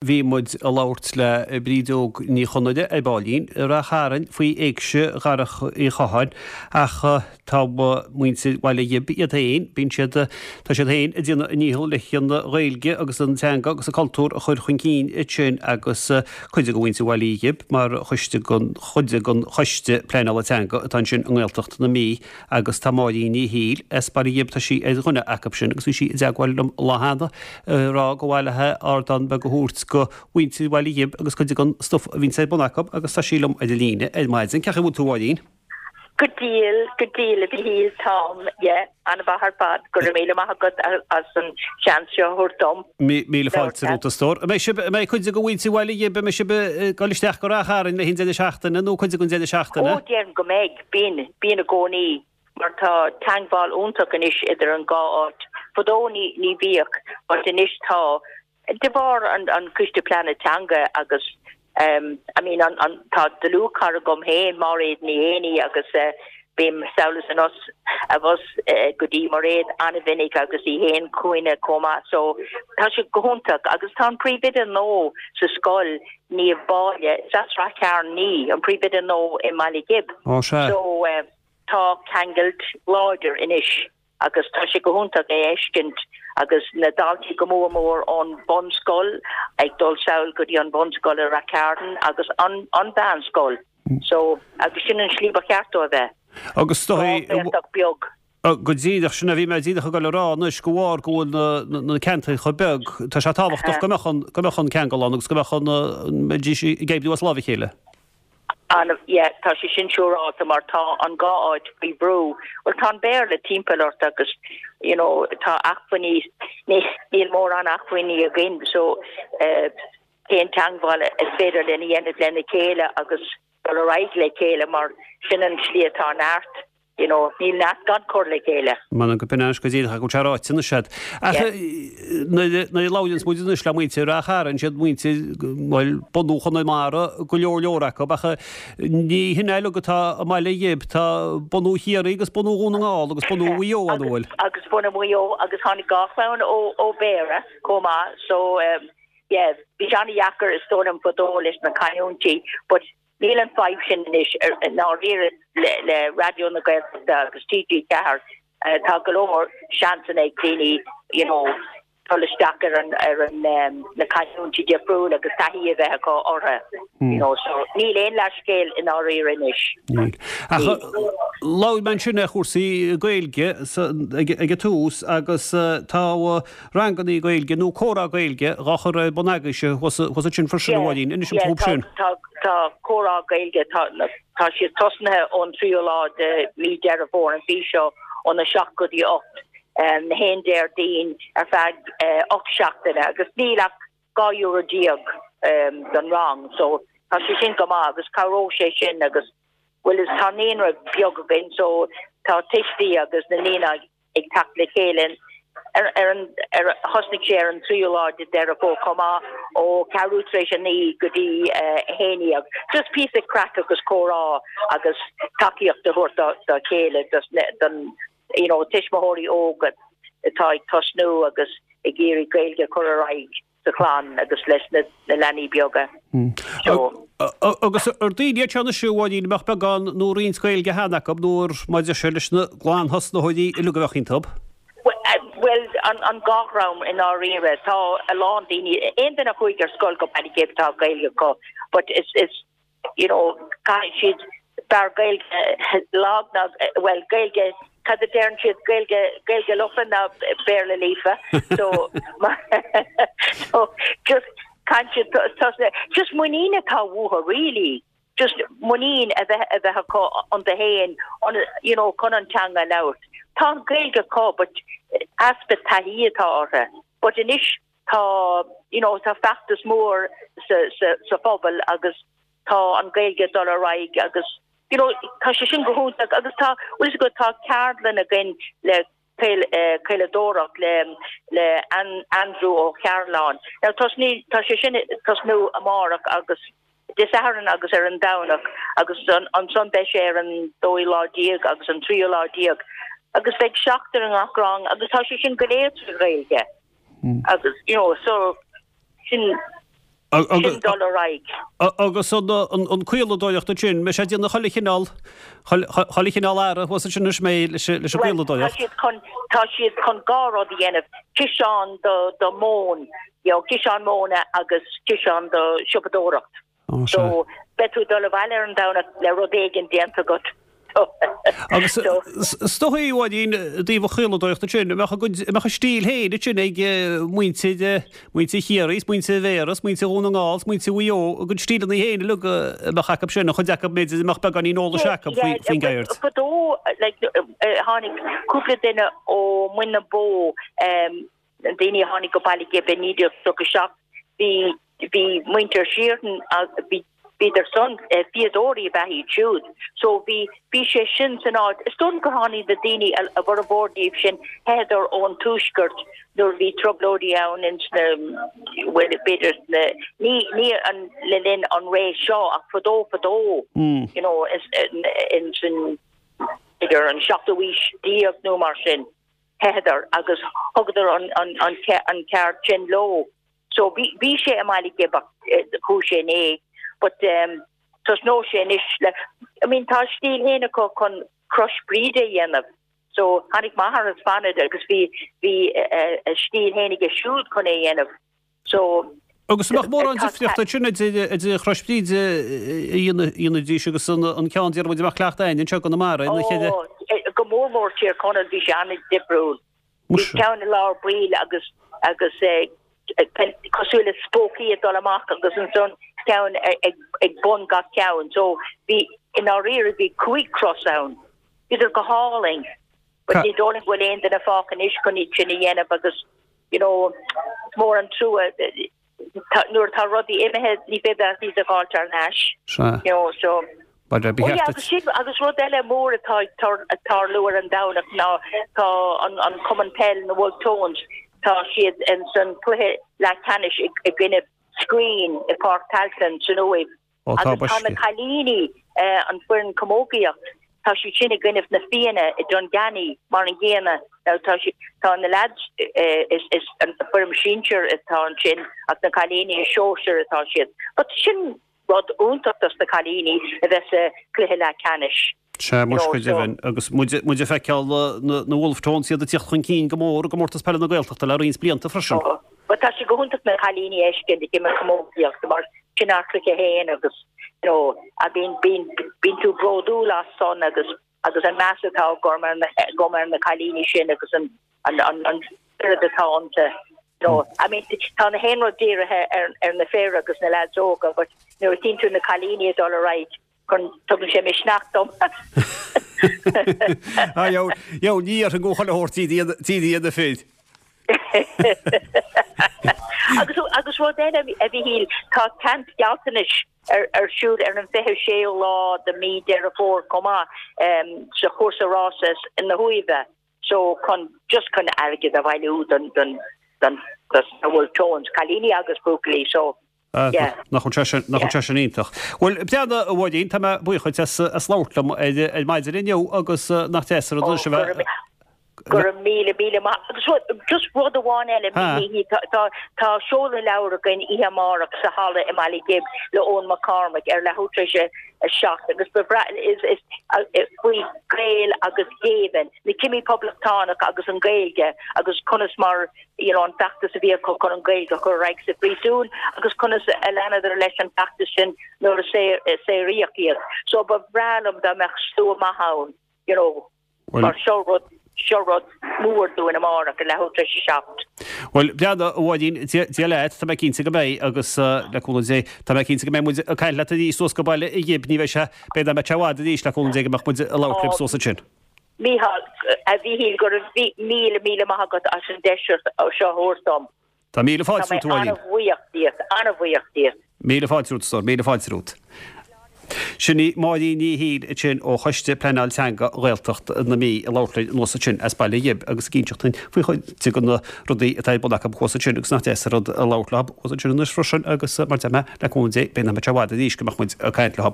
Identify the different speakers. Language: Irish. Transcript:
Speaker 1: Bhí muid ag labhairt le Brídeog Ní Chonaire ar baillín i Rath Chairn faoi Éigse Dharach Uí Chatháin ach tá muintir Bhaile Ghib iad féin, bíonn siad, tá siad féin ag déanamh a ndícheall leis an Ghaeilge agus an teanga agus an cultúr a chur chun cinn ansin agus cuid de mhuintir Bhaile Ghib mar choiste den, chuid den Choiste Pleanála Teanga atá ansin i nGaeltacht na Mí agus tá Máirín Ní Shiail as Baile Ghib, tá sí ar dhuine acu sin agus bhí sí i dteagmháil liom an lá cheana. ag rá gur mhaith léi ardán beag a thabhairt go mhuintir Bhaile Ghib agus cuid den stuif a bhíonns ar bun acu agus tá sí liom ar an líne ar maidin. Cén chaoi a bhfuil tú a Mháirín?
Speaker 2: Go diail, go diail a Mhichíl, táim, yeah, an-mhaith ar fad, go raibh míle maith agat as an seans seo a thabhairt dom.
Speaker 1: Míle fáilte romhat a stór. An mbeidh sibh, an mbeidh cuid de mhuintir Bhaile Ghib, an mbeidh sibh ag dul isteach go Rath Chairn le haghaidh an deireadh seachtaine nó cuid den deireadh seachtaine?
Speaker 2: Ó, déarfainn go mbeidh, bíonn, bíonn i gcónaí. mar tá teangmháil iontach anois idir an dhá áit. Fadó ní ní bhíodh but anois tá, de bharr an an Coiste Pleanála Teanga agus ehm I mean an an tá dlúthchara agam féin, Máiréad Ní Éanaí agus eh bím sall is anuas abhus eh go dtí Mairéad an-mhinic agus í féin chugainne chomh maith so tá sé go hiontach agus tá an príomhoide nua sa scoil Niamh Báille, is as Rath Chairn í, an príomhoide nua i mBaile Ghib.
Speaker 1: Ó sea.
Speaker 2: So eh. Tá ceangailt láidir anois agus tá sé go hiontach é a fheiscint agus na daltaí go mór mór ón bhunscoil ag dul sall go dtí an bhunscoil i Rath Cairn agus an an mheánscoil. So, agus sin an slí ba cheart dó a bheith.
Speaker 1: Agus
Speaker 2: is dóigh. Gaeltacht beag.
Speaker 1: Go díreach, sin a bhí mé díreach ag dul a rá anois, de bharr go bhfuil na na ceantair chomh beag, tá sé tábhachtach go mbeadh an go mbeadh an ceangal ann agus go mbeadh an mbeidís ag oibriú as láimh a chéile.
Speaker 2: An, yeah, tá sé sin siúráilte mar tá an dhá áit faoi bhrú. Bhuel, tá an Béarla timpeall ort agus, you know, tá acmhainní, ní, níl mórán acmhainní againn so eh, cén teangmháil is féidir linn a dhéanamh lena chéile agus dul ar aghaidh le chéile mar sin an slí atá neart. You know, níl neart gan cur le chéile.
Speaker 1: M'anam go b'in anois go díreach go bhfuil sé ráite anois agat. Ach nuair a labhraíonns muid anois le muintir Rath Chairn, siad muintir, bhuel, bunú Chonamara go leor leor acu, ach ní hin é uilig atá i mBaile Ghib, tá bunú Chiarraí agus bunú Dhún na nGall agus bunú Mhaigh Eo ann, an bhfuil?
Speaker 2: Agus bunú Mhaigh Eo agus tháinig dhá chlann ó Bhéarra chomh maith so yeah, bhí sé an-dheacair is dóigh liom fadó leis na canúintí but Níl an fadhb sin anois i ndáiríre le Raidió na Gaeltachta agus TG4. Tá go leor seansanna ag daoine you know dul isteach ar an ar an na canúintí difriúla agus taithí a bheith acu orthu you know so níl aon leathscéal i ndáiríre anois.
Speaker 1: Níl. Ach labhair mé ansin ar chúrsaí Gaeilge ag an tús agus tá rangannaí Gaeilge nó comhrá Gaeilge dhá chur ar bun agaibhse thuas ansin freisin, a Mháirín. Inis dom fúthu sin.
Speaker 2: Tá, tá comhrá Gaeilge, tá, tá siad tosnaithe ón tríú lá de mí Deireadh Fómhair an mhí seo óna 7 go dtí 8, na haon Déardaoin ar feadh 8 seachtaine agus níl ach 12 euro don rang so tá sé sin go maith agus cabhróidh sé sin agus bhuel is tá naíonra beag againn so tá tuistí agus na naíonáin ag teacht le chéile ar ar an ar thosnaigh sé ar an tríú lá de Deireadh Fómhair chomh maith ó ceathrú tar éis a 9 go dtí 11. Just píosa craic agus comhrá agus tacaíocht a thabhairt dá dá chéile don you know tuismitheoirí óga atá ag tosnú agus ag iarraidh Gaeilge a chur ar aghaidh. sa chlann agus leis na leanaí beaga.
Speaker 1: So. Agus ar daoine iad seo anois, a Mháirín, a mbeadh beagán nó roinnt Gaeilge cheana acu nó ar mar a deir sé leis na glanthosnaitheoirí uilig a bheadh iontu?
Speaker 2: Bhuel, an dhá dhream i ndáiríre. Tá a lán daoine, aon duine a chuaigh ar scoil go Baile Ghib tá Gaeilge acu but is, is, you know, caithfidh siad b'fhearr Gaeilge lag ná, bhuel, Gaeilge, cad a deireann siad, Gaeilge, Gaeilge lofa ná Béarla líofa. So, so just caithfidh siad tosnú, just muinín atá uathu really, just muinín a bheith, a bheith acu iontu féin, you know, chun an teanga a labhairt. Tá an Ghaeilge acu but easpa taithí atá orthu. But anois Tá, you know, tá feachtas mór sa, sa, sa phobal agus tá an Ghaeilge ag dul ar aghaidh agus, you know, tá sé sin go hiontach agus tá, bhfuil fhios agat, tá ceardlann againn le caol, eh, caoladóireacht le, le Andrew Ó Cearláin. Now tosnaí, tá sé sin ag tosnú amárach agus Dé Sathairn agus ar an Domhnach agus ansan beidh sé ar an dóú lá déag agus an tríú lá déag agus beidh seachtar i ngach rang agus tá sé sin go léir trí Ghaeilge. Agus, you know, so, sin. Sin dul ar aghaidh.
Speaker 1: Agus an caoladóireacht ansin, mbeidh sé ag déanamh chuile chineál, chuile chineál earra thuas ansin anois mbeidh leis an gcaoladóireacht?
Speaker 2: Bhuel, tá siad chun, tá siad chun dhá rud a dhéanamh, ciseán do, do mhóin, you know, ciseán móna agus ciseán do siopadóireacht. So, beidh tú ag dul abhaile ar an Domhnach le rud éigin déanta agat.
Speaker 1: Agus is dóigh, a Mháirín, i dtaobh an chaoladóireachta sin, an mbeadh a gcuid, an mbeadh a stíl féin ansin ag muintir, muintir Chiarraí is muintir Bhéarra is muintir Dhún na nGall is muintir Mhaigh Eo, a gcuid stíleanna féin uilig a mbeadh acu sin, an chuid acu b'fhéidir a mbeadh beagáinín eolais acu faoin gceird.
Speaker 2: Fadó, like, tháinig cúpla duine ó Mhuin na Bó, Na daoine a tháinig go Baile Ghib i 1937, bhí, bhí muintir Sheehan, bhí, bhíodar san, fíodóirí ab ea iad siúd. So bhí, bhí sé sin san áit. Is dóigh liom gur tháinig na daoine, a bhformhór díobh sin, theitheadar ón tuaisceart nuair a bhí trioblóidí ann ins na, bhuel, b'fhéidir sna, ní, ní an, le linn an ré seo ach fadó fadó, you know, ins an, b'fhéidir an seachtú aois déag nó mar sin. theitheadar agus thugadar an ceard sin leo. So bhí sé i mBaile Ghib ach chuaigh sé in éag. But tosnóidh sé anois le, I mean tá a stíl féin acu chun crois Bríde a dhéanamh. So tháinig m'athair as Fanad agus bhí bhí a stíl féin aige siúd chun é a dhéanamh. So.
Speaker 1: Agus an mbeadh mórán difríochta ansin idir Chrois Bhríde a dhéanfaidís agus an ceann déarfaidh muid a mbeadh cleachtadh againn anseo i gConamara ina chéile?
Speaker 2: Ó, go mór mór Tír Chonaill, bhí sé an-difriúil. Bhí ceann i lár baill agus agus cosúil le spócaí ag dul amach agus ansan ceann ag bun gach ceann. So bhí, i ndáiríre bhí cúig chros ann. Bhíodar go hálainn. But ní dóigh liom go bhfuil aon duine fágtha anois chun iad sin a dhéanamh agus you know, is mór an trua nuair atá rudaí imithe ní féidir leat iad a fháilt thar n-ais.
Speaker 1: Sea.
Speaker 2: You know, so.
Speaker 1: Ba
Speaker 2: oh yeah, agus sin, agus rud eile mór atá ag tarlú ar an Domhnach ná tá an, an Cumann Peil na Wolfe Tones, tá siad in san cluiche leathcheannais i, i gcoinne Skryne i Páirc Tailteann san Uaimh.
Speaker 1: Ó tá
Speaker 2: Agus tá na cailíní, an foireann camógaíocht, tá siad sin i gcoinnibh na Fianna i Dunganny mar an gcéanna. Now tá siad, tá na leaids, is, is an foireann sinsir atá ansin ach na cailíní is sóisir atá siad. But sin rud iontach dos na cailíní a bheith sa chluiche leathcheannais.
Speaker 1: Sea, muis go deimhin. Agus muid ag feiceáil na Wolfe Tones iad ag tíocht chun cinn go mór i gComórtas Peile na Gaeltachta le roinnt blianta freisin.
Speaker 2: Bhuel, tá sé go hiontach na cailíní a fheiscint ag imirt camógaíochta mar sin ár gcluiche féin agus you know, bíonn, bíonn, bíonn tú bródúil as san agus, agus an meas atá agam ar na, agam ar na cailíní sin agus an, an, an, an spiorad atá iontu. You know, I mean, tá na haon rud dírithe ar, ar na fir agus na lads óga but nuair a tchíonn tú na cailíní ag dul ar aghaidh, chun, tugann sé misneach dom.
Speaker 1: Ah, yo, yo, ní dhéarfainn go chuile shórt iad na fir.
Speaker 2: Agus, agus rud eile a Mhíchíl, tá caint gealltanais ar, ar siúl ar an 26ú lá de mí Deireadh Fómhair chomh maith, sa chúrsa rása na hUaimhe. So chun, just chun airgead a bhailiú don, don, don, dos na Wolfe Tones, cailíní agus buachaillí, so,
Speaker 1: Yeah. Nach bhfuil sé sin, nach bhfuil sé sin iontach. Bhuel, breathnaigh, a Mháirín, tá mé buíoch dhuit as, as labhairt liom ar, ar maidin inniu agus nach deas an rud anois a bheith.
Speaker 2: Go raibh míle, míle maith. Agus rud, just rud amháin eile, Ha. Míchíl, tá, tá, tá seoladh leabhar againn oíche amárach sa halla i mBaile Ghib le Eoin Mac Cormaic ar leathuair tar éis a 7 agus ba bhreá, is, is, faoi Gaeil agus géibheann, na cimí poblachtánach agus an Ghaeilge agus conas mar you know an feachtas a bhí acu chun an Ghaeilge a chur ar aghaidh sa phríosún agus conas a leanadar leis an bhfeachtas sin nuair a saoraíodh iad. So ba bhreá liom dá mbeadh slua maith ann, you know, mar seo rud, seo rud mór dúinn amárach ar leathuair tar éis a
Speaker 1: 7. Bhuel, breathnaigh, a Mháirín, Dia leat, tá mé cinnte go mbeidh agus le cúnamh Dé, tá mé cinnte go mbeidh muid ag caint leat arís suas go Baile Ghib, ní bheidh sé, b'fhéidir nach mbeidh sé i bhfad arís le cúnamh Dé go mbeadh muid ag labhairt libh suas ansin.
Speaker 2: Mícheál, A Mhíchíl, go raibh míle, míle maith agat as an deis seo a thabhairt dom.
Speaker 1: Tá míle fáilte
Speaker 2: romhat, a Mháirín. Tá mé an-bhuíoch díot, an-bhuíoch díot.
Speaker 1: Míle fáilte romhat, a stór, míle fáilte romhat. Sin í Máirín Ní Shiail ansin ó Choiste Pleanáil Teanga Ghaeltacht na Mí ag labhairt linn anuas ansin as Baile Ghib agus ag inseacht dúinn faoi chuid de na rudaí atá ar bun acu thuas ansin agus nach deas an rud a labhairt leo thuas ansin anois freisin agus mar deir mé, le cúnamh Dé, beidh nach mbeidh sé i bhfad arís go mbeadh muid ag caint leo.